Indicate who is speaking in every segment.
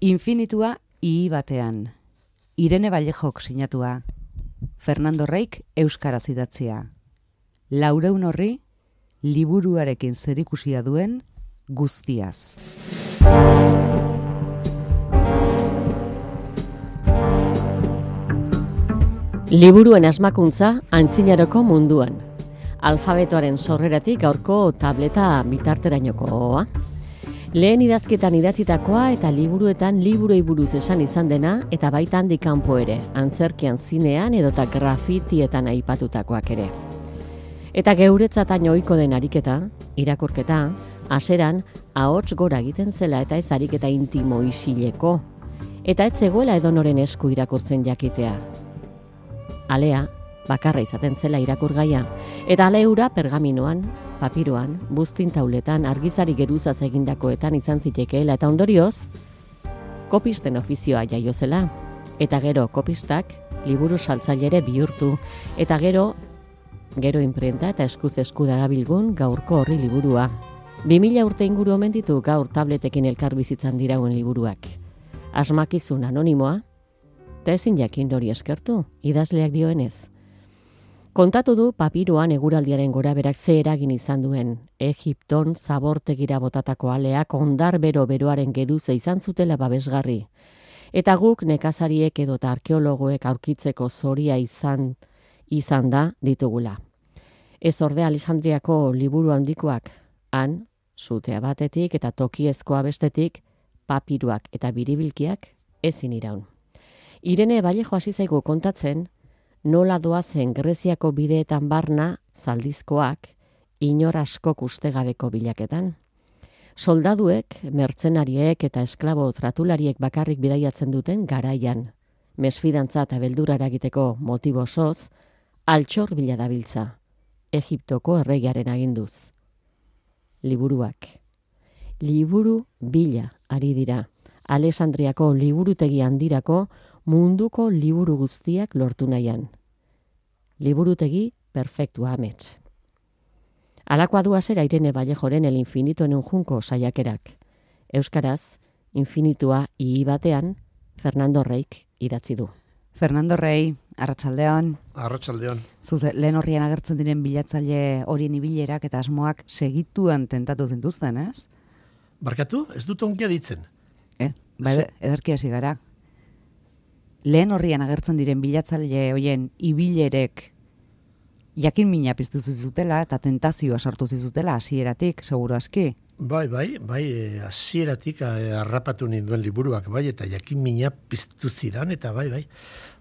Speaker 1: Infinitua I batean. Irene Vallejok sinatua. Fernando Reik euskaraz idatzia. Laureun horri liburuarekin zerikusia duen guztiaz.
Speaker 2: Liburuen asmakuntza antzinaroko munduan. Alfabetoaren sorreratik gaurko tableta bitarterainokoa. Lehen idazketan idatzitakoa eta liburuetan liburuei buruz esan izan dena eta baita handik kanpo ere, antzerkian, zinean edota grafitietan aipatutakoak ere. Eta geuretzatan ohiko den ariketa, irakurketa, haseran ahots gora egiten zela eta ez ariketa intimo isileko, eta ez zegoela edonoren esku irakurtzen jakitea. Alea, bakarra izaten zela irakurgaia, eta aleura pergaminoan, papiroan, buztin tauletan, argizari geruzaz egindakoetan izan zitekeela eta ondorioz, kopisten ofizioa jaio zela, eta gero kopistak liburu saltzailere bihurtu, eta gero inprenta eta eskuz esku darabilgun gaurko horri liburua. 2000 urte inguru omen ditu gaur tabletekin elkar bizitzan dirauen liburuak. Asmakizun anonimoa, eta ezin jakin hori eskertu, idazleak dioenez. Kontatu du papiroan eguraldiaren goraberak ze eragin izan duen. Egipton zabortegira botatako aleak ondar beroaren geruza izan zutela babesgarri. Eta guk nekazariek edota arkeologoek aurkitzeko zoria izan da ditugula. Ez orde Alexandriako liburu handikoak, han, sutea batetik eta tokiezkoa bestetik, papiruak eta biribilkiak ezin iraun. Irene Vallejo hasi zaigu kontatzen, nola doazen Greziako bideetan barna zaldizkoak inor askok ustegabeko bilaketan. Soldaduek, mertzenariek eta esklabo tratulariek bakarrik bidaiatzen duten garaian. Mesfidantza eta beldurra eragiteko motibo osoz, altxor bila dabiltza, Egiptoko erregiaren aginduz. Liburuak. Liburu bila ari dira. Alexandriako liburutegi handirako munduko liburu guztiak lortu nahian. Liburutegi perfektua amets. Alakoa du hasera Irene Vallejoren El infinito en un junco saiakerak. Euskaraz, infinitua I batean, Fernando Reik idatzi du.
Speaker 1: Fernando Rei, arratsaldeon.
Speaker 3: Arratsaldeon.
Speaker 1: Zuze, lehen horrian agertzen diren bilatzaile horien ibilerak eta asmoak segituan tentatu zintuzten, ez?
Speaker 3: Barkatu, ez dut onkia ditzen.
Speaker 1: Ederki hasi gara. Lehen horrian agertzen diren bilatzaile horien ibilerek jakin mina piztu zizutela eta tentazioa sortu zizutela hasieratik, seguru aski.
Speaker 3: Bai, hasieratik harrapatu ninduen liburuak, bai, eta jakin mina piztu zidan, eta bai,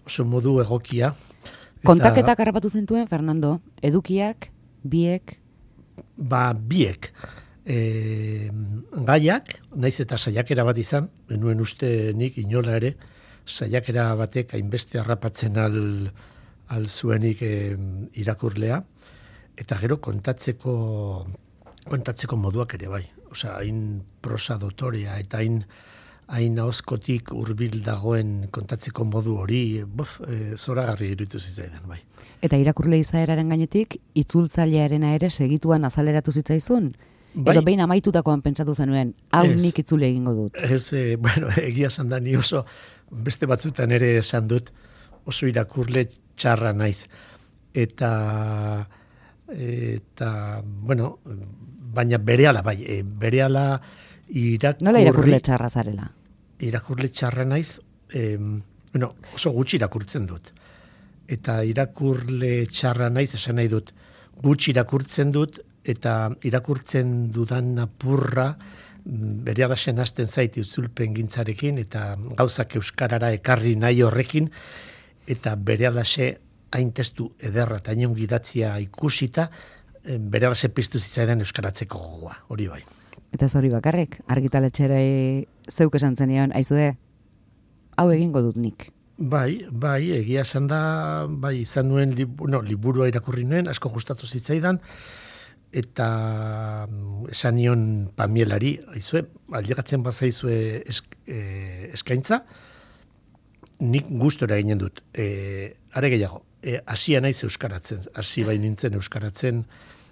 Speaker 3: oso modu egokia.
Speaker 1: Kontaketak harrapatu zintuen, Fernando, edukiak, biek?
Speaker 3: Biek. Gaiak, naiz eta saiakera bat izan, benuen uste nik inola ere, saiakera batek hainbeste harrapatzen al zuenik irakurlea, eta gero kontatzeko moduak ere bai. Osea, hain prosa dotorea eta hain ahozkotik hurbil dagoen kontatzeko modu hori, zoragarri iruditu zitzaidan bai.
Speaker 1: Eta irakurle izaeraren gainetik, itzultzailearena ere segituan azaleratu zitzaizun? Bai. Edo behin amaitutakoan pentsatu zenuen, hau nik itzule egingo dut.
Speaker 3: Egia esan da, ni oso beste batzutan ere esan dut, oso irakurle txarra naiz. Eta baina berehala
Speaker 1: Nola irakurle txarra zarela?
Speaker 3: Irakurle txarra naiz, oso gutxi irakurtzen dut. Eta irakurle txarra naiz, esan nahi dut, gutxi irakurtzen dut, eta irakurtzen dudan apurra berehala hasten zait itzulpen gintzarekin, eta gauzak euskarara ekarri nahi horrekin, eta berehala hain testu ederra eta hain ongidatzia ikusita, berehala piztu zitzaidan euskaratzeko gogoa, hori bai.
Speaker 1: Eta hori bakarrik, argitaletxere zeuk esan zenion, aizue, hau egingo dut nik.
Speaker 3: Bai, egia esan da, izan nuen liburua irakurri nuen, asko gustatu zitzaidan, eta esan nion Pamielari, aizue, aldegatzen bazaizue eskaintza, nik gustora ginen dut. Are gehiago, hasia naiz euskaratzen, hasi bai nintzen euskaratzen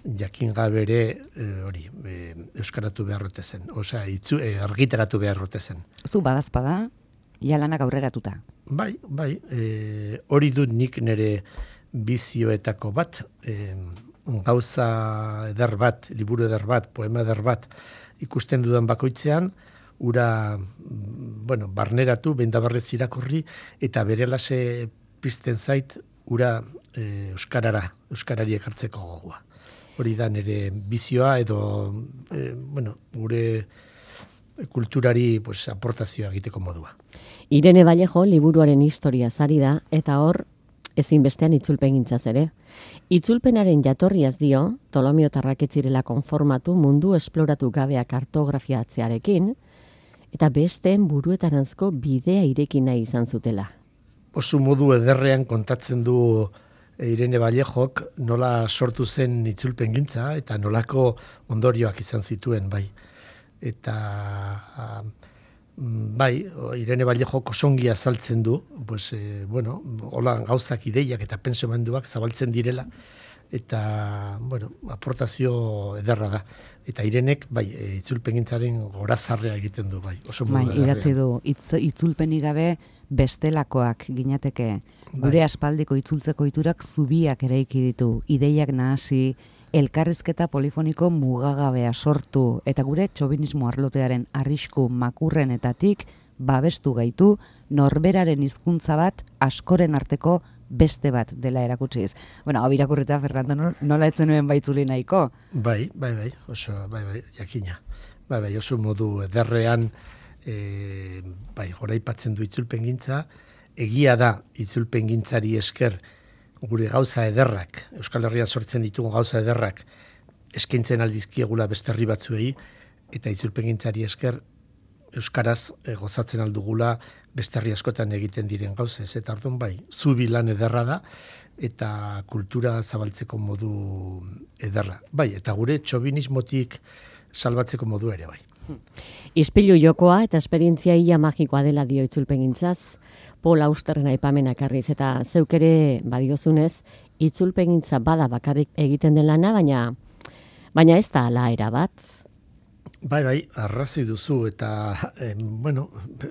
Speaker 3: jakin gabere hori euskaratu beharrote zen, osea argitaratu beharrote zen.
Speaker 1: Zu badazpada, ja lanak aurreratuta.
Speaker 3: Bai, hori dut nik nire bizioetako bat, gauza eder bat, liburu eder bat, poema eder bat ikusten dudan bakoitzean, ura, barneratu, bendabarrez irakurri, eta berelase pizten zait, ura euskarari ekartzeko gogoa. Hori da nire bizioa edo, gure kulturari aportazioa egiteko modua.
Speaker 2: Irene Vallejo liburuaren historia zari da, eta hor ezinbestean itzulpengintzaz ere. Itzulpenaren jatorriaz dio, Tolomiotarrak ez zirela konformatu mundu esploratu gabea kartografiatzearekin, eta besteen buruetaranzko bidea ireki nahi izan zutela.
Speaker 3: Oso modu ederrean kontatzen du Irene Vallejok nola sortu zen itzulpengintza eta nolako ondorioak izan zituen, bai. Eta Irene Vallejok osongi azaltzen du, hola gauzak ideiak eta pentsamenduak zabaltzen direla, eta, aportazio ederra da. Eta Irenek, itzulpengintzaren gorazarrea egiten du, bai. Oso modu ederrean.
Speaker 1: Idatzi du, itzulpenik gabe bestelakoak ginateke. Gure aspaldiko itzultzeko iturak zubiak eraiki ditu, ideiak nahasi, elkarrizketa polifoniko mugagabea sortu, eta gure txobinismo arlotearen arrisku makurrenetatik babestu gaitu norberaren hizkuntza bat askoren arteko beste bat dela erakutsiz. Hau irakurrita, Fernando, nola etzen nuen baitzuli nahiko?
Speaker 3: Bai, oso, jakina. Oso modu ederrean, goraipatzen du itzulpengintza, egia da itzulpengintzari esker gure gauza ederrak, Euskal Herrian sortzen ditugun gauza ederrak, eskaintzen aldizkiegula beste herri batzuei, eta itzulpengintzari esker euskaraz gozatzen aldugula beste herri askotan egiten diren gauzez. Eta orduan zubi lan ederra da, eta kultura zabaltzeko modu ederra. Eta gure txobinismotik salbatzeko modu ere, bai.
Speaker 2: Ispilu jokoa eta esperientzia ia magikoa dela dio itzulpengintzaz, Paul Austerren aipamenak arriz, eta zeuk ere badiozunez, itzulpengintza bada bakarrik egiten den lana, baina ez da ala era bat.
Speaker 3: Arrazi duzu, eta,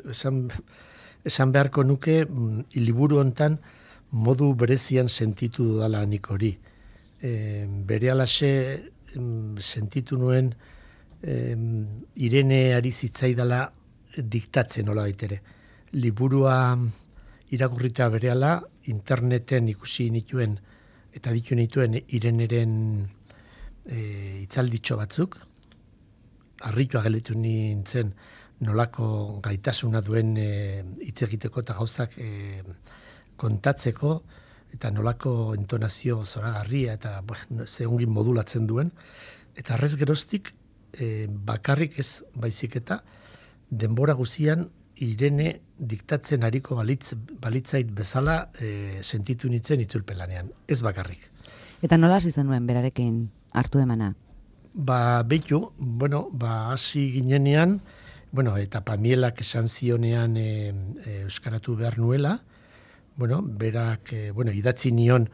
Speaker 3: esan beharko nuke, liburu hontan modu berezian sentitu dudala nik hori. Berehalase sentitu nuen Irene ari zitzaidala diktatzen nola baitere. Liburua irakurrita berehala, interneten ikusi nituen eta ditu nituen Ireneren hitzalditxo batzuk, harritua gelditu nintzen nolako gaitasuna duen hitz egiteko eta gauzak kontatzeko, eta nolako entonazio zoragarria eta zehongin modulatzen duen. Eta arrez geroztik, bakarrik ez baizik eta denbora guzian Irene diktatzen ariko balitzait bezala sentitu nintzen itzulpelanean, ez bakarrik.
Speaker 1: Eta nola hasi zenuen berarekin hartu emana?
Speaker 3: Hasi ginenean, eta Pamielak esan zionean euskaratu behar nuela, berak idatzi nion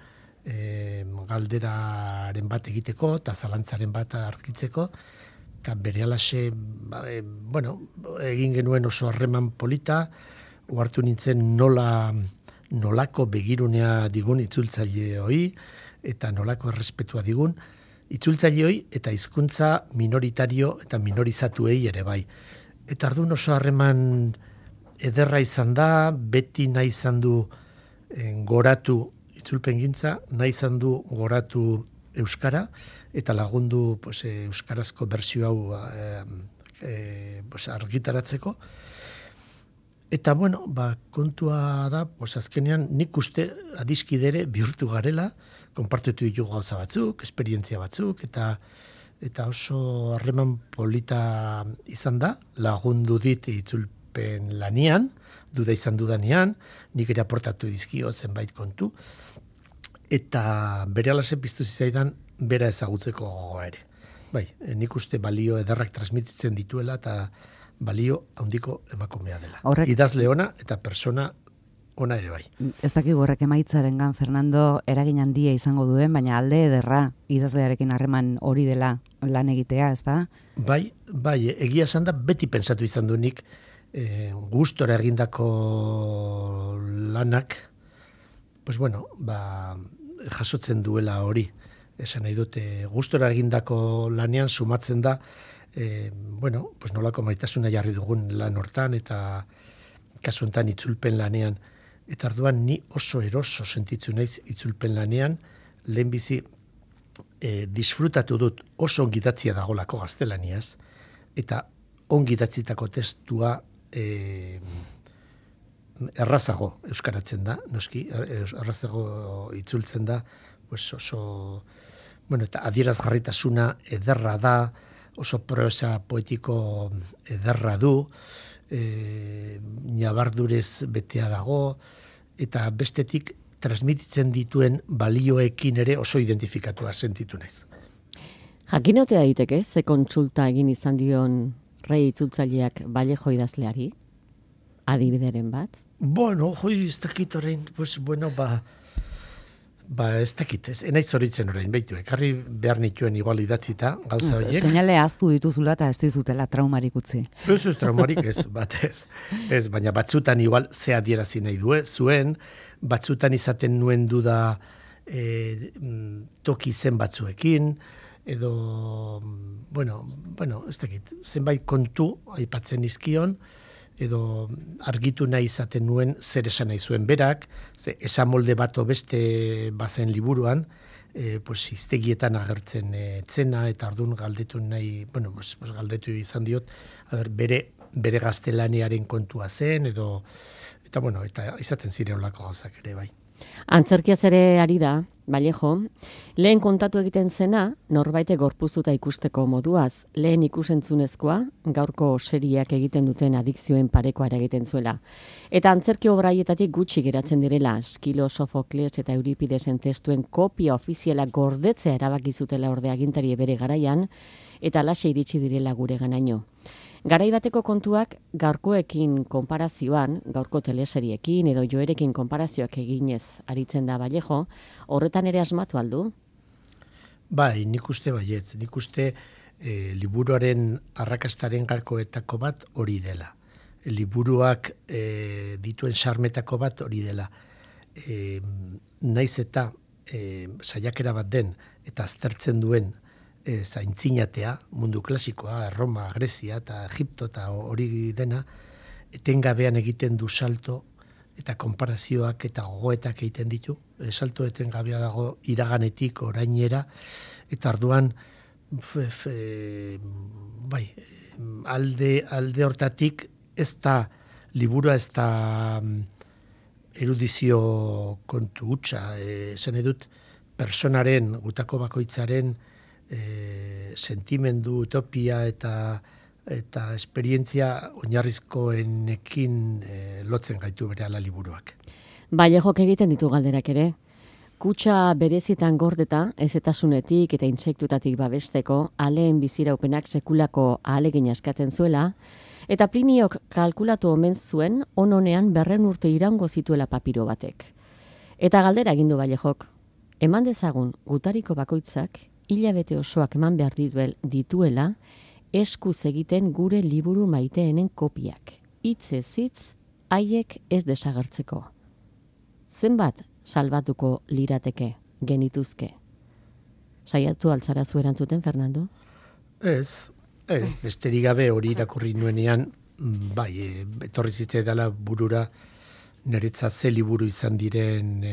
Speaker 3: galderaren bat egiteko eta zalantzaren bat argitzeko, eta berehalase egin genuen oso harreman polita, ohartu nintzen nolako begirunea digun itzultzaile hoi, eta nolako errespetua digun itzultzaile hoi, eta hizkuntza minoritario eta minorizatuei ere bai. Eta orduan oso harreman ederra izan da, beti nahi izan du goratu itzulpengintza, nahi izan du goratu euskara, eta lagundu euskarazko bersio hau argitaratzeko. Eta kontua da, azkenean nik uste adiskidere bihurtu garela, konpartitu ditugu gauza batzuk, esperientzia batzuk, eta oso harreman polita izan da, lagundu dit itzulpen lanian, duda izan dudanean, nik ere aportatu dizkio zenbait kontu, eta berehalase piztu zizaidan bera ezagutzeko gogoa ere. Nik uste balio ederrak transmititzen dituela eta balio handiko emakumea dela. Idazle ona eta persona ona ere bai.
Speaker 1: Ez dakigu horrek emaitzarengan Fernando eragin handia izango duen, baina alde ederra idazlearekin harreman hori dela lan egitea, ez da?
Speaker 3: Bai, egia esan da beti pentsatu izan du nik gustora egindako lanak, pues bueno, jasotzen duela hori. Esan nahi dute, gustora egindako lanean sumatzen da, bueno, pues nolako maitasuna jarri dugun lan hortan, eta kasu honetan itzulpen lanean. Eta orduan ni oso eroso sentitzen naiz itzulpen lanean, lehenbizi disfrutatu dut oso ongidatzia dagolako gaztelaniaz, eta ongidatzitako testua errazago euskaratzen da, noski, errazago itzultzen da, pues oso, bueno, eta adierazgarritasuna ederra da, oso prosa poetiko ederra du, nabardurez betea dago, eta bestetik transmititzen dituen balioekin ere oso identifikatua sentitu naiz.
Speaker 2: Jakinotea daiteke, ze kontsulta egin izan dion rei itzultzaileak Vallejo idazleari? Adibideren bat?
Speaker 3: Bueno, ez dakit orain, pues, bueno, ez dakit, enaiz horitzen orain, behitu, ekarri behar nituen igual idatzita, gauza horiek.
Speaker 1: Seinale ahaztu dituzula eta ez dizutela traumarik utzi.
Speaker 3: Ez traumarik ez, batez. Ez, baina batzutan igual ze adierazi nahi zuen, batzutan izaten nuen duda toki zen batzuekin, edo, bueno, ez dakit, zenbait kontu aipatzen izkion, edo argitu nahi izaten nuen zer esan nahi zuen berak, esan molde bato beste bazen liburuan, pues hiztegietan agertzen etzena, eta ardun galdetu nahi, bueno, pues galdetu izan diot, bere gaztelaniaren kontua zen, edo, eta bueno, eta izaten ziren olako gauzak ere bai.
Speaker 2: Antzerkiaz ere ari da, Vallejo, lehen kontatu egiten zena, norbaite gorpuzuta ikusteko moduaz, lehen ikusentzunezkoa, gaurko serieak egiten duten adikzioen parekoa egiten zuela. Eta antzerki obraietatik gutxi geratzen direla, Eskilo, Sofokles eta Euripidesen testuen kopia ofiziala gordetzea erabaki zutela orde agintari bere garaian, eta alaxe iritsi direla gure ganaino. Garai bateko kontuak gaurkoekin konparazioan, gaurko teleseriekin edo joerekin konparazioak eginez aritzen da Vallejo, horretan ere asmatu aldu?
Speaker 3: Bai, nik uste baietz. Nik uste liburuaren arrakastaren gakoetako bat hori dela. Liburuak dituen sarmetako bat hori dela. Naiz eta saiakera bat den eta aztertzen duen zaintzinatea, mundu klasikoa, Roma, Grezia eta Egipto eta hori dena, etengabean egiten du salto eta konparazioak eta gogoetak egiten ditu. Salto etengabea dago iraganetik orainera, eta arduan alde hortatik ez da liburua, ez da erudizio kontu hutsa, esan edut personaren, gutako bakoitzaren sentimendu, utopia eta esperientzia oinarrizkoenekin lotzen gaitu berehala liburuak.
Speaker 2: Vallejok egiten ditu galderak ere. Kutxa berezietan gordeta, ezetasunetik eta intsektutatik babesteko, aleen biziraupenak sekulako ahalegin askatzen zuela, eta Pliniok kalkulatu omen zuen ononean 100 urte iraungo zituela papiro batek. Eta galdera egin du Vallejok, eman dezagun gutariko bakoitzak hilabete osoak eman behar dituela, eskuz egiten gure liburu maiteenen kopiak. Hitzez hitz, haiek ez desagertzeko. Zenbat salbatuko lirateke, genituzke? Saiatu altzara zu erantzuten, Fernando?
Speaker 3: Ez, besterik gabe hori irakurri nuenean, etorri zitzaidala burura niretzat ze liburu izan diren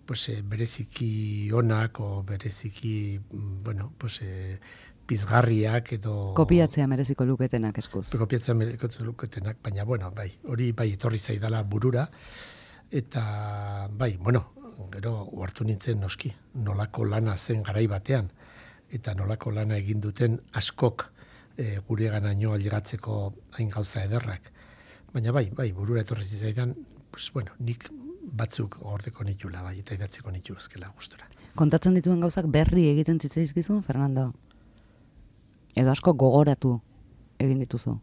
Speaker 3: bereziki onak, o bereziki, pizgarriak edo...
Speaker 1: Kopiatzea mereziko luketenak eskuz.
Speaker 3: Kopiatzea mereziko luketenak, baina, hori etorri zaidala burura, eta, gero hartu nintzen noski, nolako lana zen garai batean, eta nolako lana egin duten askok gure ganaino ailegatzeko hain gauza ederrak. Baina burura etorri zaidan, nik batzuk gordeko nitula, eta idatziko nitu ezkela gustora.
Speaker 1: Kontatzen dituen gauzak berri egiten zitzaizkizun, Fernando? Edo asko gogoratu egin dituzu?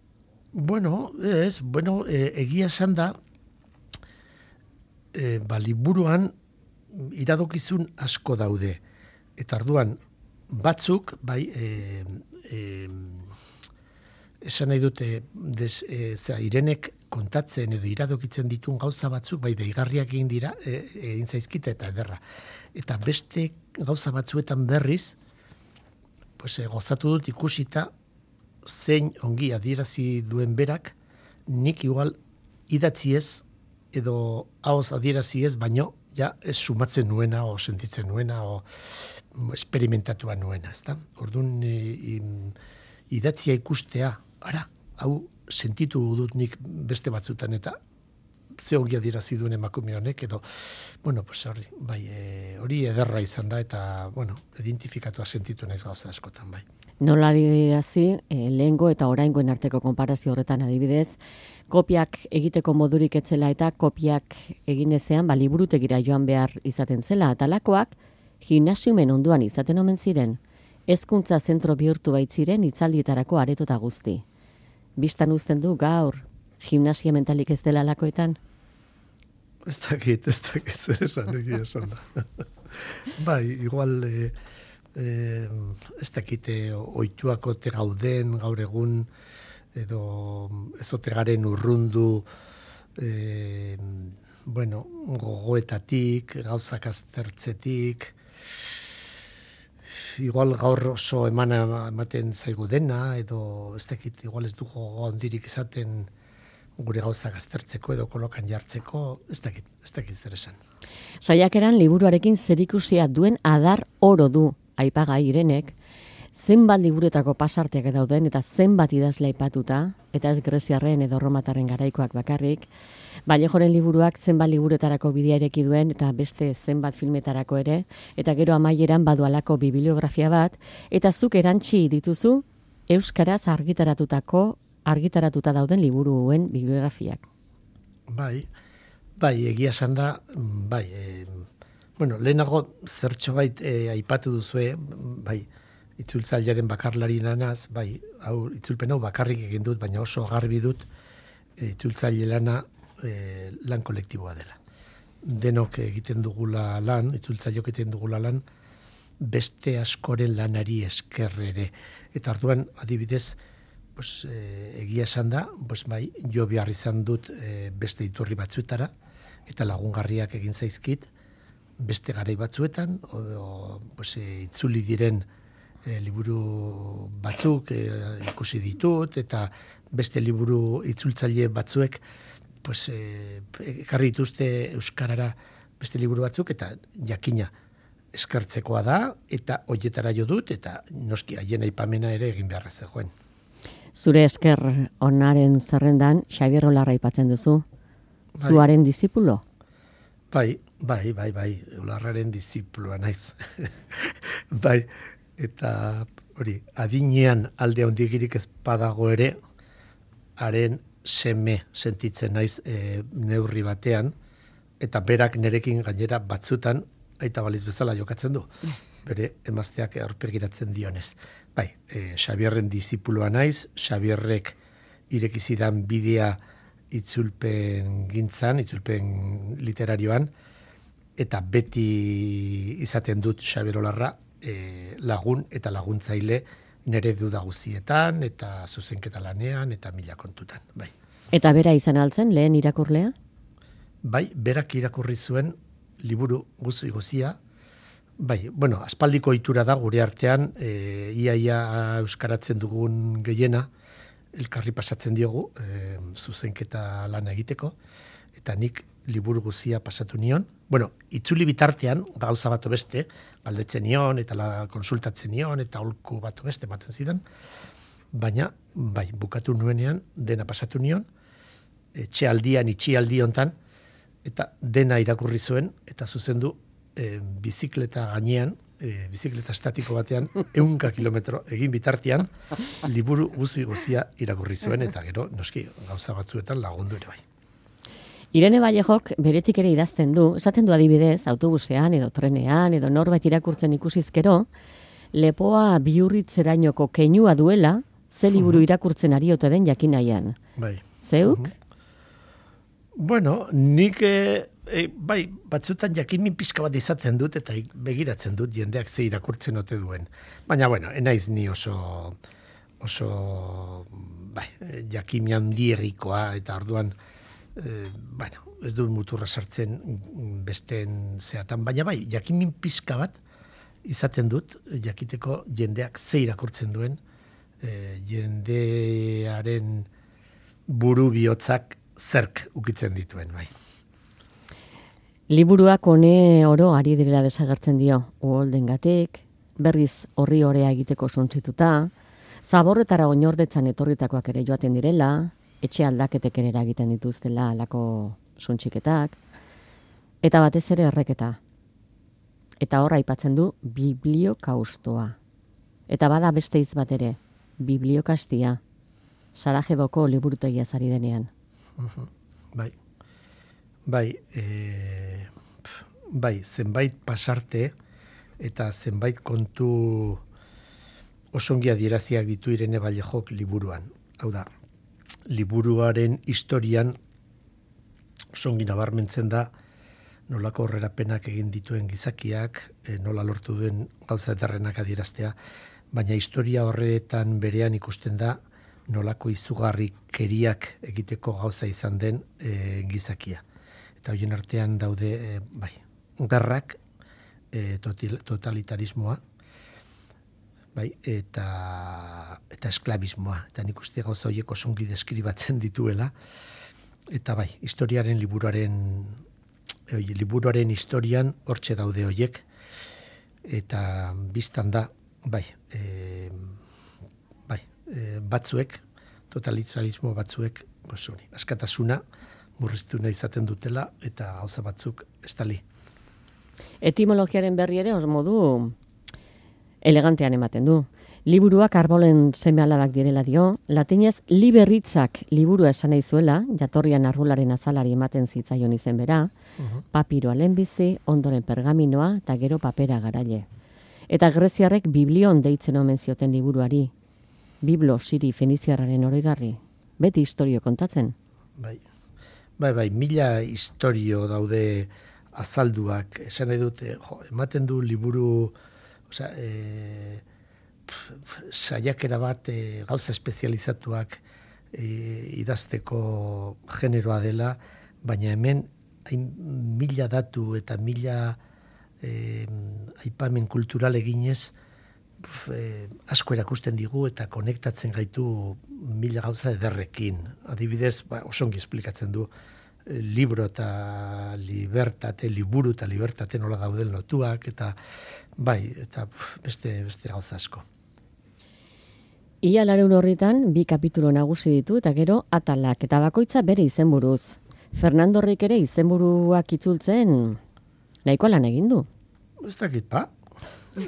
Speaker 3: Egia esan da, liburuan iradokizun asko daude. Eta orduan, batzuk, bai, esan nahi dute, Irenek kontatzen edo iradokitzen ditun gauza batzuk, bai, deigarriak egin zaizkite eta ederra. Eta beste gauza batzuetan berriz, gozatu dut ikusita, zein ongi adierazi duen berak, nik igual idatzi ez, edo haoz adierazi ez, baino, ja, ez sumatzen nuena, o sentitzen nuena, o esperimentatua nuena, ezta? Orduan, idatzia ikustea, hau sentitu dut nik beste batzutan, eta ze ongi adierazi duen emakume honek, edo, hori ederra izan da, eta, identifikatua sentitu naiz gauza askotan, bai.
Speaker 2: Nola adierazi, lehengo eta oraingoen arteko konparazio horretan adibidez, kopiak egiteko modurik etzela eta kopiak egin ezean, liburutegira joan behar izaten zela, eta lakoak gimnasiumen onduan izaten omen ziren, hezkuntza zentro bihurtu baitziren itzaldietarako aretota guzti. Bistan uzten du gaur, gimnasia mentalik ez dela lakoetan?
Speaker 3: Ez dakit, zer esan da. Bai, igual, ez dakite ohituako te gauden gaur egun, edo ezote garen urrundu, gogoetatik, gauzak aztertzetik, igual gaur oso ematen zaigu dena, edo ez dakit, igual ez du gogo handirik izaten gure gauzak aztertzeko edo kolokan jartzeko, ez dakit zer esan.
Speaker 2: Saiakeran liburuarekin zerikusia duen adar oro du, aipagai Irenek, zenbat liburuetako pasarteak dauden eta zenbat idazle aipatuta, eta ez greziarren edo romatarren garaikoak bakarrik, Vallejoren liburuak zenbat liburuetarako bidea ireki duen eta beste zenbat filmetarako ere, eta gero amaieran badualako bibliografia bat, eta zuk erantsi dituzu euskaraz argitaratuta dauden liburuen bibliografiak.
Speaker 3: Bai, egia esan da, lehenago zertxo bait aipatu duzue, itzultzailearen bakarlari lanaz, hau itzulpen hau bakarrik egin dut, baina oso garbi dut itzultzaile lana lan kolektiboa dela. Denok egiten dugula lan, itzultzaileok egiten dugula lan, beste askoren lanari esker ere. Eta orduan, adibidez, egia esan da, jo behar izan dut beste iturri batzuetara, eta lagungarriak egin zaizkit, beste garai batzuetan, itzuli diren liburu batzuk ikusi ditut, eta beste liburu itzultzaile batzuek ekarri dituzte euskarara beste liburu batzuk, eta jakina eskertzekoa da, eta hoietara jo dut, eta noski haien aipamena ere egin beharra zegoen.
Speaker 2: Zure esker onaren zerrendan Xabier Olarra aipatzen duzu, zuaren dizipulo?
Speaker 3: Bai, Olarraren dizipulua naiz. Eta hori, adinean alde handigirik ez badago ere, haren seme sentitzen naiz neurri batean, eta berak nerekin gainera batzutan aita baliz bezala jokatzen du. Bere emazteak aurpegiratzen dionez. Xabierren dizipulua naiz, Xabierrek irekizidan bidea itzulpen gintzan, itzulpen literarioan, eta beti izaten dut Xabier Olarra lagun eta laguntzaile nere duda guztietan, eta zuzenketa lanean, eta mila kontutan.
Speaker 2: Eta bera izan altzen, lehen irakurlea?
Speaker 3: Berak irakurri zuen liburu guzia. Aspaldiko ohitura da gure artean, iaia euskaratzen dugun gehiena, elkarri pasatzen diogu, zuzenketa lana egiteko, eta nik liburu guzia pasatu nion. Itzuli bitartean, gauza bat beste, galdetzen nion, eta konsultatzen nion, eta holku bat beste ematen zidan, baina, bukatu nuenean, dena pasatu nion, itxialdi hontan, eta dena irakurri zuen, eta zuzendu bizikleta gainean, bizikleta estatiko batean, 100 kilometro egin bitartean, liburu guzia irakurri zuen, eta gero, noski, gauza batzuetan lagundu ere bai.
Speaker 2: Irene Vallejok beretik ere idazten du, esaten du adibidez, autobusean edo trenean edo norbait irakurtzen ikusizkero, lepoa bihurritzerainoko keinua duela, ze liburu irakurtzen ari ote den jakin nahian. Zeuk?
Speaker 3: Nik bai, batzutan jakinmin pizka bat izaten dut eta begiratzen dut jendeak ze irakurtzen ote duen. Baina, bueno, enaiz ni oso bai, jakimi handierikoa eta orduan, bueno, ez dut muturra sartzen besteen zeatan, baina bai, jakinmin pizka bat izaten dut jakiteko jendeak ze irakurtzen duen, jendearen buru bihotzak zerk ukitzen dituen, bai.
Speaker 2: Liburuak hone oro ari direla desagertzen dio, uholdengatik, berriz horri orea egiteko suntzituta, zaborretara oinordetzan etorritakoak ere joaten direla, etxe aldaketek ere eragiten dituztela alako suntziketak, eta batez ere erreketa. Eta hor aipatzen du bibliokaustoa. Eta bada beste hitz bat ere, bibliokastia. Sarajevoko liburutegia zari denean.
Speaker 3: Bai. Bai, zenbait pasarte eta zenbait kontu osongi adieraziak ditu Irene Vallejok liburuan. Hau da, liburuaren historian osongi nabarmentzen da nolako horrerapenak egin dituen gizakiak, nola lortu duen gauza ederrenak adieraztea, baina historia horretan berean ikusten da nolako izugarrikeriak egiteko gauza izan den gizakia. Eta horien artean daude, bai, gerrak, totalitarismoa, bai, eta esklabismoa. Eta nik uste gauza horiek osongi deskribatzen dituela. Eta bai, liburuaren historian hortxe daude horiek. Eta biztan da, bai, batzuek, totalitarismo batzuek, askatasuna murriztuna izaten dutela eta gauza batzuk estali.
Speaker 2: Etimologiaren berri ere os modu elegantean ematen du. Liburuak arbolen seme-alabak direla dio, latinez liberritzak liburua esan nahi zuela, jatorrian arbularen azalari ematen zitzaion izen bera, papiroa lehenbizi, ondoren pergaminoa eta gero papera garaile. Eta greziarrek biblion deitzen omen zioten liburuari. Biblo siri feniziarraren oroigarri. Beti historio kontatzen.
Speaker 3: Bai, mila historio daude azalduak. Esan nahi dute, ematen du liburu, saiakera bat gauza espezializatuak idazteko generoa dela, baina hemen mila datu eta mila aipamen kultural eginez asko erakusten digu eta konektatzen gaitu mila gauza ederrekin. Adibidez, osongi esplikatzen du liburu eta libertate nola dauden lotuak, eta bai, eta beste gauza asko.
Speaker 2: Ia lareun horritan, 2 kapitulo nagusi ditu eta gero atalak, eta bakoitza bere izenburuz. Fernandorrik ere izenburuak itzultzen nahiko lan egin du.
Speaker 3: Ez dakit,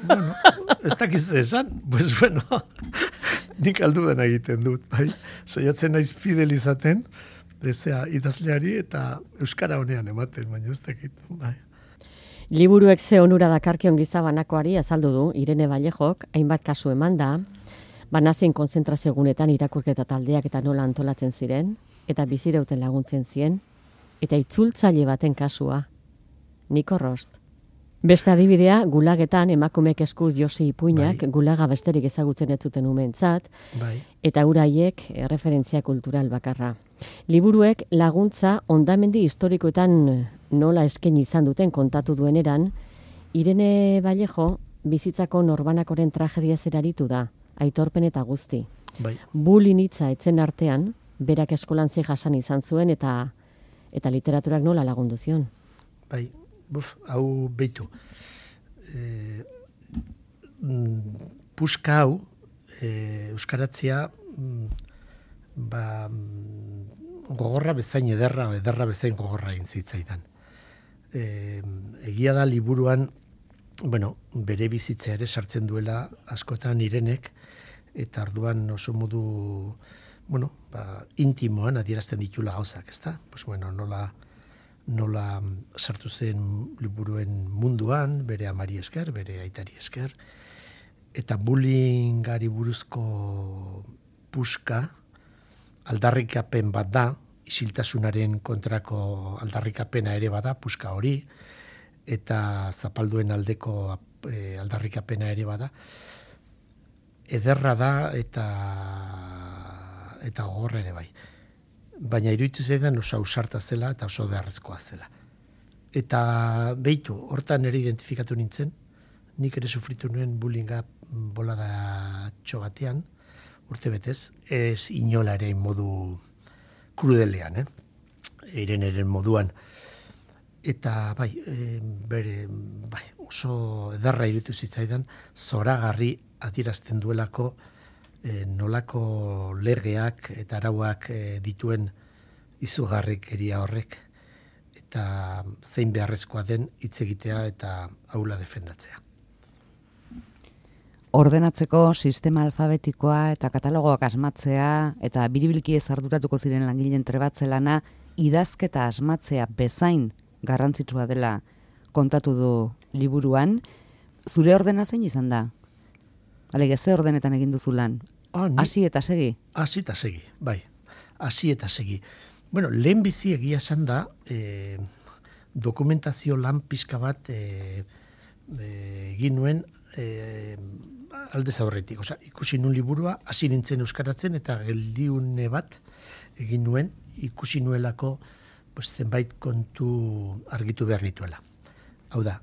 Speaker 3: bueno, ez dakiz esan, pues bueno, nik aldudan egiten dut, bai. Saiatzen naiz fidelizaten, idazleari eta euskara honean ematen, baina ez dakit, bai.
Speaker 2: Liburuek ze onura dakarkion gizabanakoari azaldu du Irene Vallejok, hainbat kasu eman da, banazien konzentrazio gunetan irakurketa taldeak eta nola antolatzen ziren, eta bizirauten laguntzen zien, eta itzultzaile baten kasua, Niko Rost. Beste adibidea, gulagetan emakumeek eskuz Josi Ipuinak gulaga besterik ezagutzen ez zuten umeentzat, eta uraiek referentzia kultural bakarra. Liburuek laguntza hondamendi historikoetan nola eskaini izan duten kontatu dueneran, Irene Vallejo bizitzako norbanakoren tragedia zeraritu da, aitorpen eta guzti. Bullying hitza etzen artean, berak eskolan ze jasan izan zuen eta literaturak nola lagundu zion.
Speaker 3: Bai, hau behitu. Puska hau, euskaratzea, gogorra bezain ederra bezain gogorra egin zitzaidan. Egia da liburuan, bere bizitza ere sartzen duela askotan Irenek, eta arduan oso modu, intimoan adierazten ditula gauzak, ezta? Nola sartu zen liburuen munduan, bere amari esker, bere aitari esker, eta bullyingari buruzko puska, aldarrikapen bat da, isiltasunaren kontrako aldarrikapena ere bada, puska hori, eta zapalduen aldeko aldarrikapena ere bada. Ederra da eta gogorra ere bai. Baina iruditu zaidan oso ausarta zela eta oso beharrezkoa zela. Eta behitu, hortan ere identifikatu nintzen, nik ere sufritu nuen bullyinga bolada batean, urte betez, ez inola ere modu krudelean, Ireneren moduan. Eta bai, oso ederra iruditu zitzaidan, zoragarri adierazten duelako nolako legeak eta arauak dituen izugarrikeria horrek, eta zein beharrezkoa den hitz egitea eta aula defendatzea.
Speaker 1: Ordenatzeko sistema alfabetikoa eta katalogoak asmatzea eta biribilki ez arduratuko ziren langileen trebatze lana idazketa asmatzea bezain garrantzitsua dela kontatu du liburuan. Zure ordena zein izan da? Alege, ze ordenetan egin duzu lan? Hasi eta segi? Hasi eta segi,
Speaker 3: bai. Hasi eta segi. Bueno, lehen bizi egia esan da, dokumentazio lan pixka bat egin nuen aldez aurretik. Osa, ikusi nuen liburua, hasi nintzen euskaratzen eta geldiune bat egin nuen, ikusi nuelako zenbait kontu argitu behar nituela. Hau da,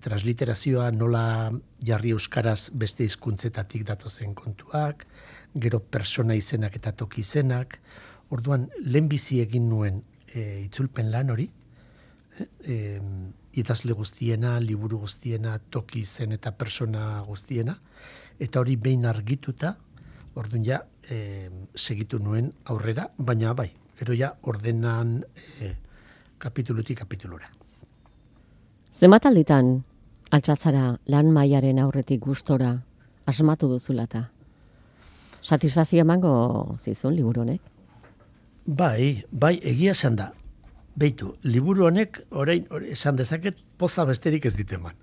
Speaker 3: transliterazioa nola jarri euskaraz beste hizkuntzetatik datozen kontuak, gero persona izenak eta toki izenak. Orduan, lehenbizi egin nuen itzulpen lan hori, idazle guztiena, liburu guztiena, toki izen eta persona guztiena, eta hori behin argituta, orduan ja, segitu nuen aurrera, baina bai, gero ja ordenan kapitulutik kapitulura.
Speaker 2: Zenbat alditan altxatzara lan mailaren aurretik gustora asmatu duzulata? Satisfazio emango zizun liburu honek?
Speaker 3: Bai, egia esan da. Beitu, liburu honek orain esan dezaket poza besterik ez diteman.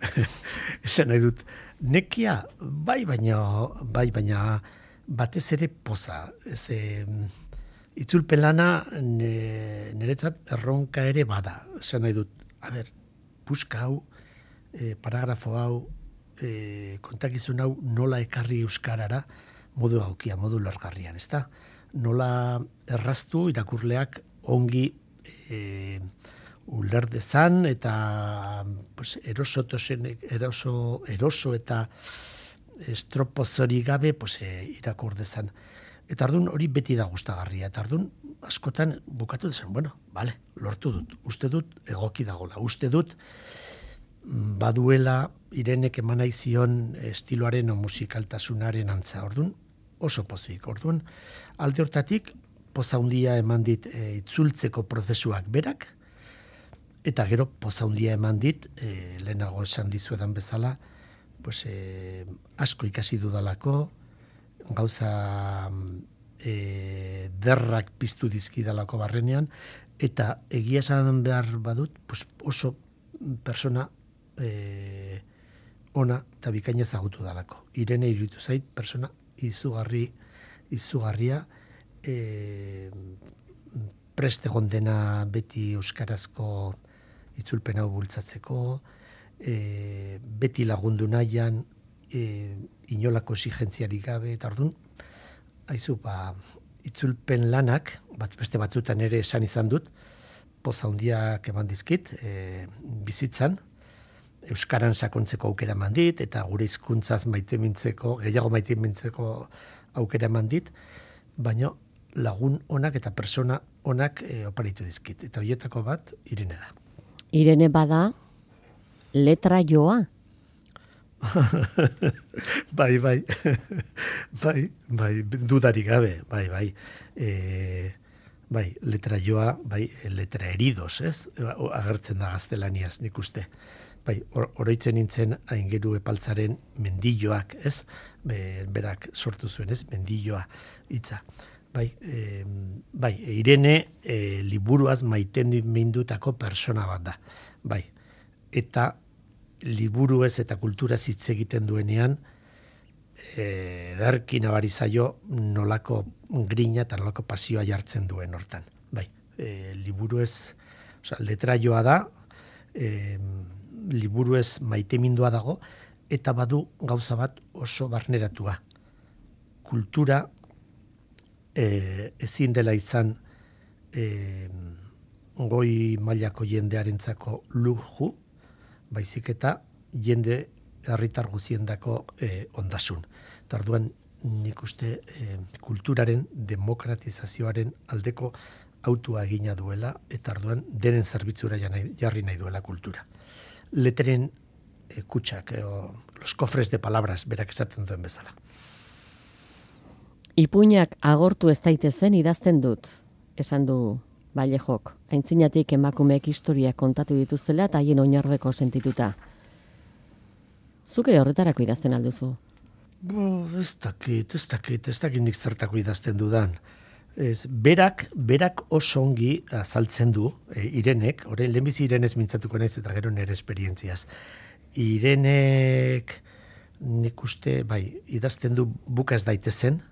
Speaker 3: Esan nahi dut, nekia baina batez ere poza. Itzulpen lana niretzat erronka ere bada. Esan nahi dut, puska hau, paragrafo hau, kontakizun hau nola ekarri euskarara modu egokia, modu largarrian, ezta? Nola erraztu irakurleak ongi uler dezan eta eroso eta estropozori gabe irakur dezan. Eta ardun hori beti da gustagarria. Eta ardun askotan bukatu dezan, lortu dut. Uste dut egoki dagola. Uste dut baduela Irenek emanai zion estiloaren o musikaltasunaren antza. Ordun oso pozik. Ordun alde hortatik poza handia eman dit itzultzeko prozesuak berak, eta gero poza handia eman dit, lehenago esan dizuedan bezala, asko ikasi dudalako, gauza derrak piztu dizkidalako barrenean, eta egia esan behar badut, oso persona ona eta bikaina ezagutu dalako. Irene iruditu zait, persona izugarria, preste gondena beti euskarazko itzulpen hau bultzatzeko, beti lagundu nahian, inolako exigentziarik gabe, eta orduan, itzulpen lanak, beste batzutan ere esan izan dut, poza handiak eman dizkit, bizitzan, euskaran sakontzeko aukera eman dit, eta gure hizkuntzaz gehiago maitemintzeko aukera eman dit, baina lagun onak eta persona onak oparitu dizkit. Eta horietako bat, Irene da.
Speaker 2: Irene bada, letra joa?
Speaker 3: Bai, dudarik gabe, bai. Letra joa, letra heridos, ez? Agertzen da gaztelaniaz, nik uste. Oroitzen nintzen Aingeru Epaltzaren mendilloak, ez? Berak sortu zuen, ez? Mendilloa hitza. Irene liburuaz maitendutako persona bat da. Eta liburuez eta kulturaz hitz egiten duenean, ederki nabari zaio nolako grina eta nolako pasioa jartzen duen hortan. Bai, liburu ez, letraioa da, liburu ez maitemindua dago, eta badu gauza bat oso barneratua. Kultura ezin dela izan goi mailako jendearentzako luju, baizik eta jende herritar guziendako ondasun. Tarduan nik uste kulturaren demokratizazioaren aldeko autua egina duela, eta arduan denen zerbitzura jarri nahi duela kultura. Leteren kutsak, los cofres de palabras, berak esaten duen bezala.
Speaker 2: Ipuinak agortu ez daitezen idazten dut, esan du Vallejok. Aintzinatik emakumeek historiak kontatu dituztela eta haien oinarreko sentituta. Zuk ere horretarako idazten alduzu?
Speaker 3: Ez dakit nik zertako idazten dudan. Berak oso ongi azaltzen du, Irenek, orain lehenbizi Irenez mintzatuko naiz eta gero nire esperientziaz. Irenek nik uste, idazten du buka ez daitezen,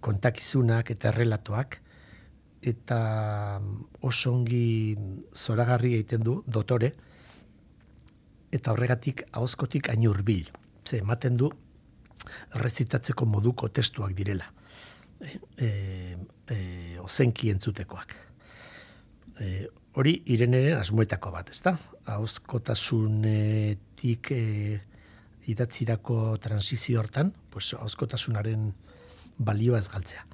Speaker 3: kontakizunak eta errelatoak, eta oso ongi zoragarri egiten du, dotore, eta horregatik ahozkotik hain hurbil. Ze ematen du errezitatzeko moduko testuak direla. Ozenki entzutekoak. Hori Ireneren asmoetako bat, ezta? Ahozkotasunetik idatzirako transizio hortan, ahozkotasunaren balioa ez galtzea.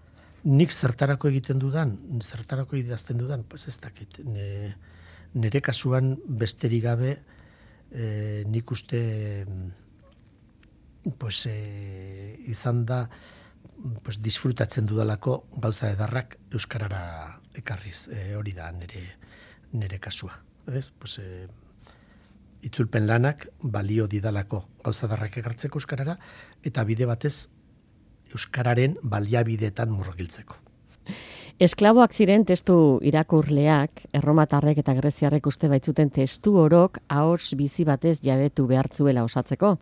Speaker 3: Nik zertarako egiten dudan, zertarako idazten dudan, ez dakit. Nire kasuan besterik gabe nik uste izan da disfrutatzen dudalako gauza edarrak euskarara ekarriz, hori da nire kasua. Itzulpen lanak balio didalako gauza edarrak ekartzeko euskarara, eta bide batez euskararen baliabideetan murgiltzeko.
Speaker 2: Esklaboak ziren testu irakurleak, erromatarrek eta greziarrek uste baitzuten testu orok ahots bizi batez jabetu behartzuela osatzeko.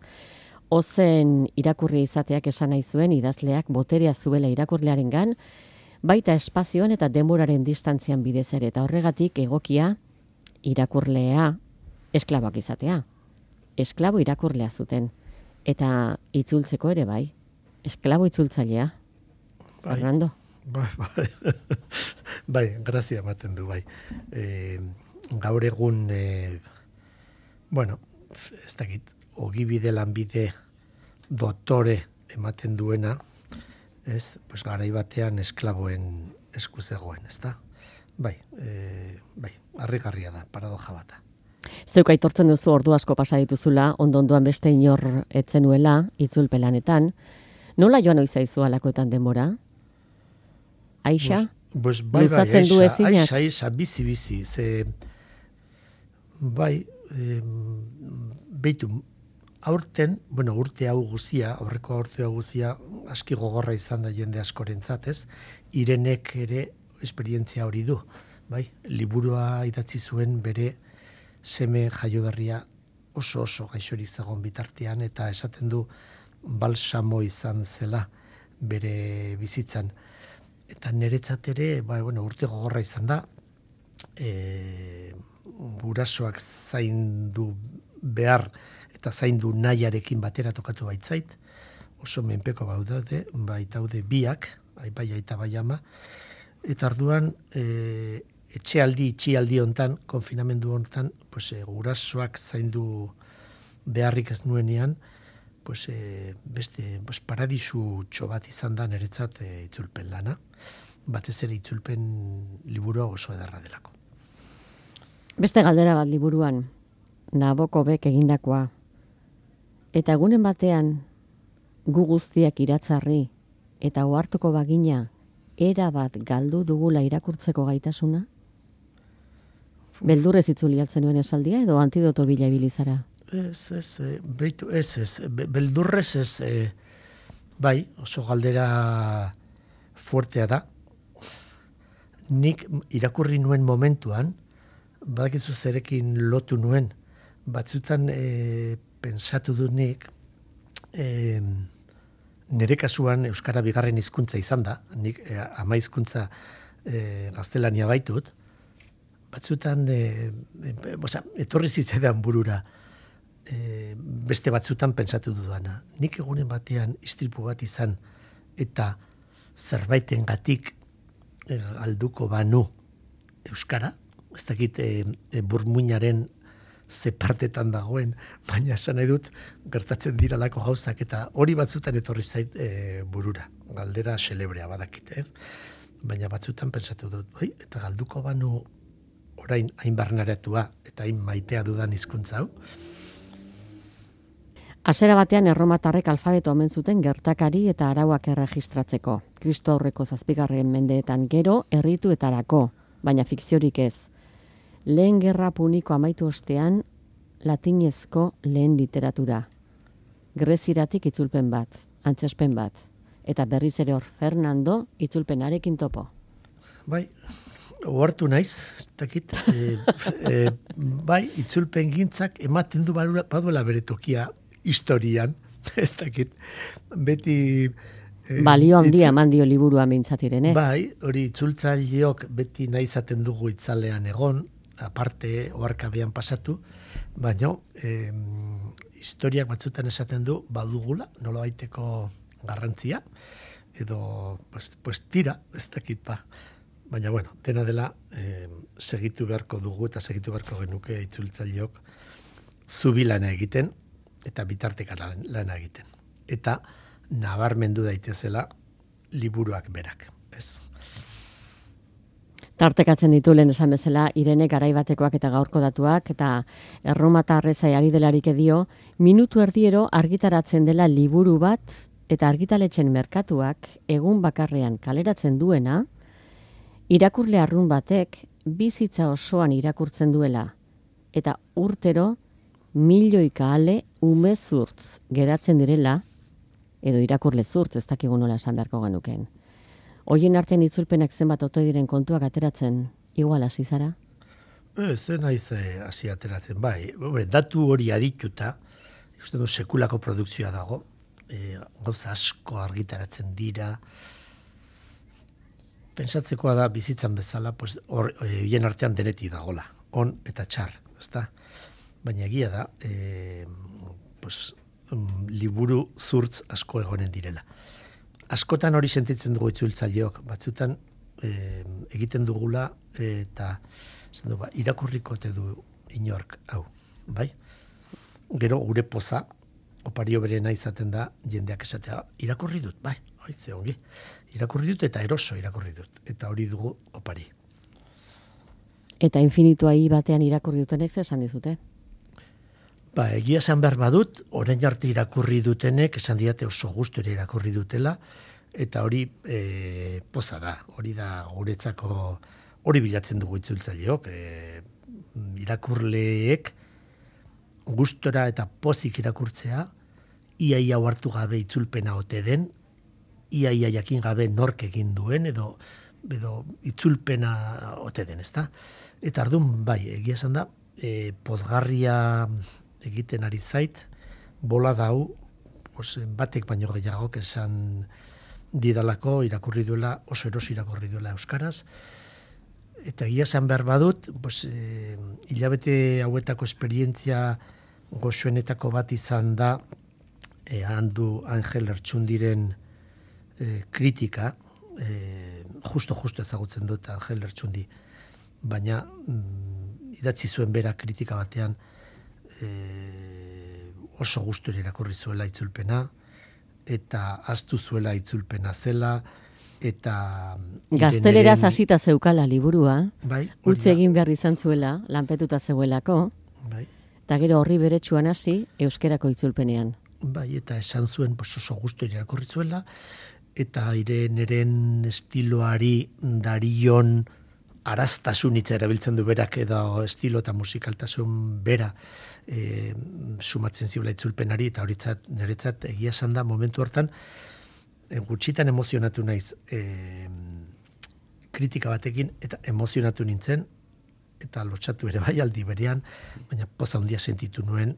Speaker 2: Ozen irakurri izateak esan nahi zuen idazleak boterea zuela irakurlearengan, baita espazioan eta denboraren distantzian bidez ere, eta horregatik egokia irakurlea esklaboak izatea. Esklabo irakurlea zuten, eta itzultzeko ere bai. Esklabo itzultzailea, Fernando.
Speaker 3: Bai, grazia ematen du, bai. Gaur egun, ez dakit, ogibide lanbide doktore ematen duena, garai batean esklaboen esku zegoen, ezta? Bai, harrigarria da, paradoja bata.
Speaker 2: Zeuk aitortzen duzu ordu asko pasa dituzula, ondondoan beste inor etzenuela, itzulpelanetan. Nola joan oizaizu alakoetan denbora? Aixa? Luzatzen du ezinak?
Speaker 3: Aixa, bizi. Beitu, aurten, urte hau guzia, aurreko urte hau guzia, aski gogorra izan da jende askorentzat, ez? Irenek ere esperientzia hori du, bai? Liburua idatzi zuen bere seme jaioberria oso gaixorik zegoen bitartean, eta esaten du balsamo izan zela bere bizitzan. Eta niretzat ere, urte gogorra izan da, gurasoak zaindu behar eta zaindu nahiarekin batera tokatu baitzait, oso menpeko baitaude biak, bai aita bai ama, eta arduan itxialdi hontan, konfinamendu hontan, gurasoak zaindu beharrik ez nuenean, beste paradisu txobat izan da niretzat itzulpen lana, batez ere itzulpen liburua oso ederra delako.
Speaker 2: Beste galdera bat liburuan, Nabokobek egindakoa, eta egunen batean gu guztiak iratzarri eta ohartuko bagina era bat galdu dugula irakurtzeko gaitasuna? Beldurrez itzuli altzen nuen esaldia edo antidoto bila ibilizara?
Speaker 3: Beldurrez ez, bai, oso galdera fuertea da. Nik irakurri nuen momentuan, badakizu zerekin lotu nuen, batzutan pensatu dut nik, nire kasuan euskara bigarren hizkuntza izan da, nik ama hizkuntza gaztelania baitut, batzutan etorri zitzaidan burura, beste batzutan pentsatu dudana. Nik egunen batean istripu bat izan eta zerbaitengatik galduko banu euskara, ez dakit burmuinaren ze partetan dagoen, baina esan nahi dut gertatzen diralako gauzak eta hori batzutan etorri zait burura. Galdera xelebrea badakit, baina batzutan pentsatu dut, eta galduko banu orain hain barneratua eta hain maitea dudan hizkuntza hau.
Speaker 2: Hasiera batean erromatarrek alfabeto omen zuten gertakari eta arauak erregistratzeko. Kristo aurreko 7. mendeetan gero errituetarako, baina fikziorik ez. Lehen gerra puniko amaitu ostean latinezko lehen literatura. Greziratik itzulpen bat, antzespen bat, eta berriz ere hor Fernando itzulpenarekin topo.
Speaker 3: Bai, ohartu naiz, ez dakit, bai, itzulpen gintzak ematen du baduela bere tokia historian, ez dakit, beti...
Speaker 2: Balio handia eman dio liburua mintzatirene.
Speaker 3: Bai, hori itzultzaileok beti nahi izaten dugu itzalean egon, aparte oharkabean pasatu, baina historiak batzutan esaten du badugula, nolabaiteko garrantzia, edo pues tira, ez dakit ba. Baina bueno, dena dela segitu beharko dugu eta segitu beharko genuke itzultzaileok zubilana egiten eta bitarteka lana egiten. Eta nabarmendu daitezela liburuak berak, ez?
Speaker 2: Tartekatzen ditu lehen esan bezala Irene garaibatekoak eta gaurko datuak eta erromatarrezai ari delarik edio, minutu erdiero argitaratzen dela liburu bat eta argitaletxen merkatuak egun bakarrean kaleratzen duena, irakurle arrun batek bizitza osoan irakurtzen duela eta urtero milioika ale umezurtz geratzen direla, edo irakurle zurtz, ez dakigu nola esan beharko genukeen. Hoien artean itzulpenak zenbat ote diren kontuak ateratzen, igual hasi zara?
Speaker 3: Ez naiz hasi ateratzen, bai. Datu hori adituta, uste du sekulako produkzioa dago, gauza asko argitaratzen dira, pentsatzekoa da bizitzan bezala, hoien artean deneti dagola, on eta txar, ezta? Baina egia da, liburu zurtz asko egonen direla. Askotan hori sentitzen dugu itzultzaileok, batzutan egiten dugula eta irakurriko ote du inork hau, bai? Gero gure poza, opario berena izaten da, jendeak esatea, irakurri dut, bai, ze ongi, irakurri dut eta eroso irakurri dut, eta hori dugu opari.
Speaker 2: Eta infinitua batean irakurri dutenek esan dizute?
Speaker 3: Ba, egia esan behar badut, orain arte irakurri dutenek, esan diate oso gustura irakurri dutela, eta hori poza da, hori da guretzako, hori bilatzen dugu itzultzaileok, irakurleek gustora eta pozik irakurtzea, iaia hartu gabe itzulpena ote den, iaia jakin gabe nork egin duen, edo itzulpena ote den, ezta? Eta ardun, bai, egia esan da, pozgarria egiten ari zait, bola dau, batek baino gehiagok esan didalako irakurri duela, oso eroso irakurri duela euskaraz, eta egia esan behar badut, hilabete hauetako esperientzia goxoenetako bat izan da, handu Angel Lertxundiren kritika, justo ezagutzen dut Angel Lertxundi, baina idatzi zuen bera kritika batean oso gustura irakurri zuela itzulpena, eta ahaztu zuela itzulpena zela, eta...
Speaker 2: Gazteleraz hasita zeukala liburua,
Speaker 3: bai,
Speaker 2: utzi egin behar izan zuela, lanpetuta zegoelako,
Speaker 3: bai,
Speaker 2: eta gero horri beretsuan hasi euskerako itzulpenean.
Speaker 3: Bai, eta esan zuen oso gustura irakurri zuela, eta Ireneren estiloari darion araztasun hitza erabiltzen du berak, edo estilo eta musikaltasun bera sumatzen ziola itzulpenari, eta horitzat niretzat egia esan da momentu hortan gutxitan emozionatu naiz kritika batekin, eta emozionatu nintzen, eta lotsatu ere bai aldi berean, baina poza handia sentitu nuen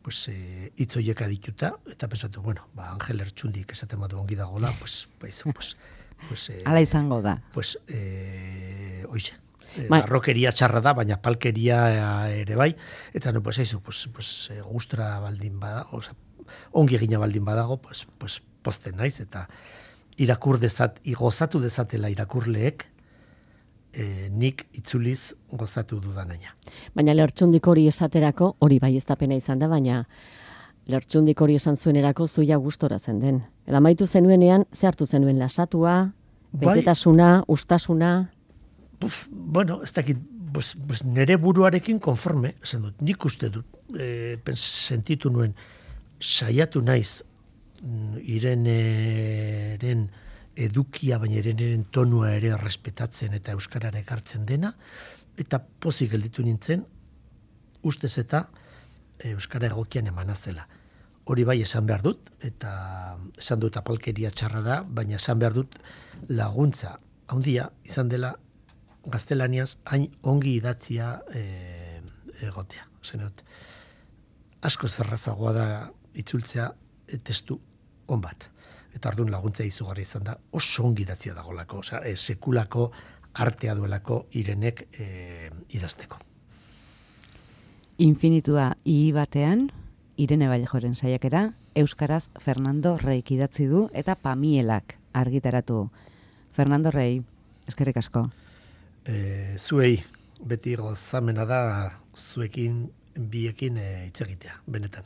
Speaker 3: pues hitz horiek adituta, eta pensatu, bueno, Angel Ertxundik esaten badu ongi dagoela,
Speaker 1: Hala izango da.
Speaker 3: Pues, oixe, barrokeria txarra da, baina palkeria ere bai, eta no, pues, gustura baldin badago, o sea, ongi egina baldin badago, pues pozten naiz, eta gozatu dezatela irakurleek, nik itzuliz gozatu dudanaina.
Speaker 2: Baina Lertxundik hori esaterako, hori bai ez da pena izan da, baina Lertxundik hori esan zuenerako zuia gustora zen den. Eta maitu zenuenean, ze hartu zenuen lasatua, betetasuna, ustasuna?
Speaker 3: Bueno, ez dakit, pues nire buruarekin konforme, esan dut, nik uste dut, sentitu nuen, saiatu naiz, Ireneren edukia, baina Ireneren tonua ere respetatzen eta euskarara ekartzen dena, eta pozik gelditu nintzen, ustez eta euskara egokian emana zela. Hori bai esan behar dut, eta esan dut apalkeria txarra da, baina esan behar dut laguntza handia izan dela gaztelaniaz hain ongi idatzia egotea. Zenot, asko zerrazagoa da itzultzea testu on bat. Eta ardun laguntza izugarri izan da, oso ongi idatzia dagolako, osea, sekulako artea duelako Irenek idazteko.
Speaker 1: Infinitua batean, Irene Vallejoren saiakera, euskaraz Fernando Reik idatzi du eta Pamielak argitaratu. Fernando Rei, eskerrik asko.
Speaker 3: Zuei, beti gozamena da zuekin biekin hitz egitea, benetan.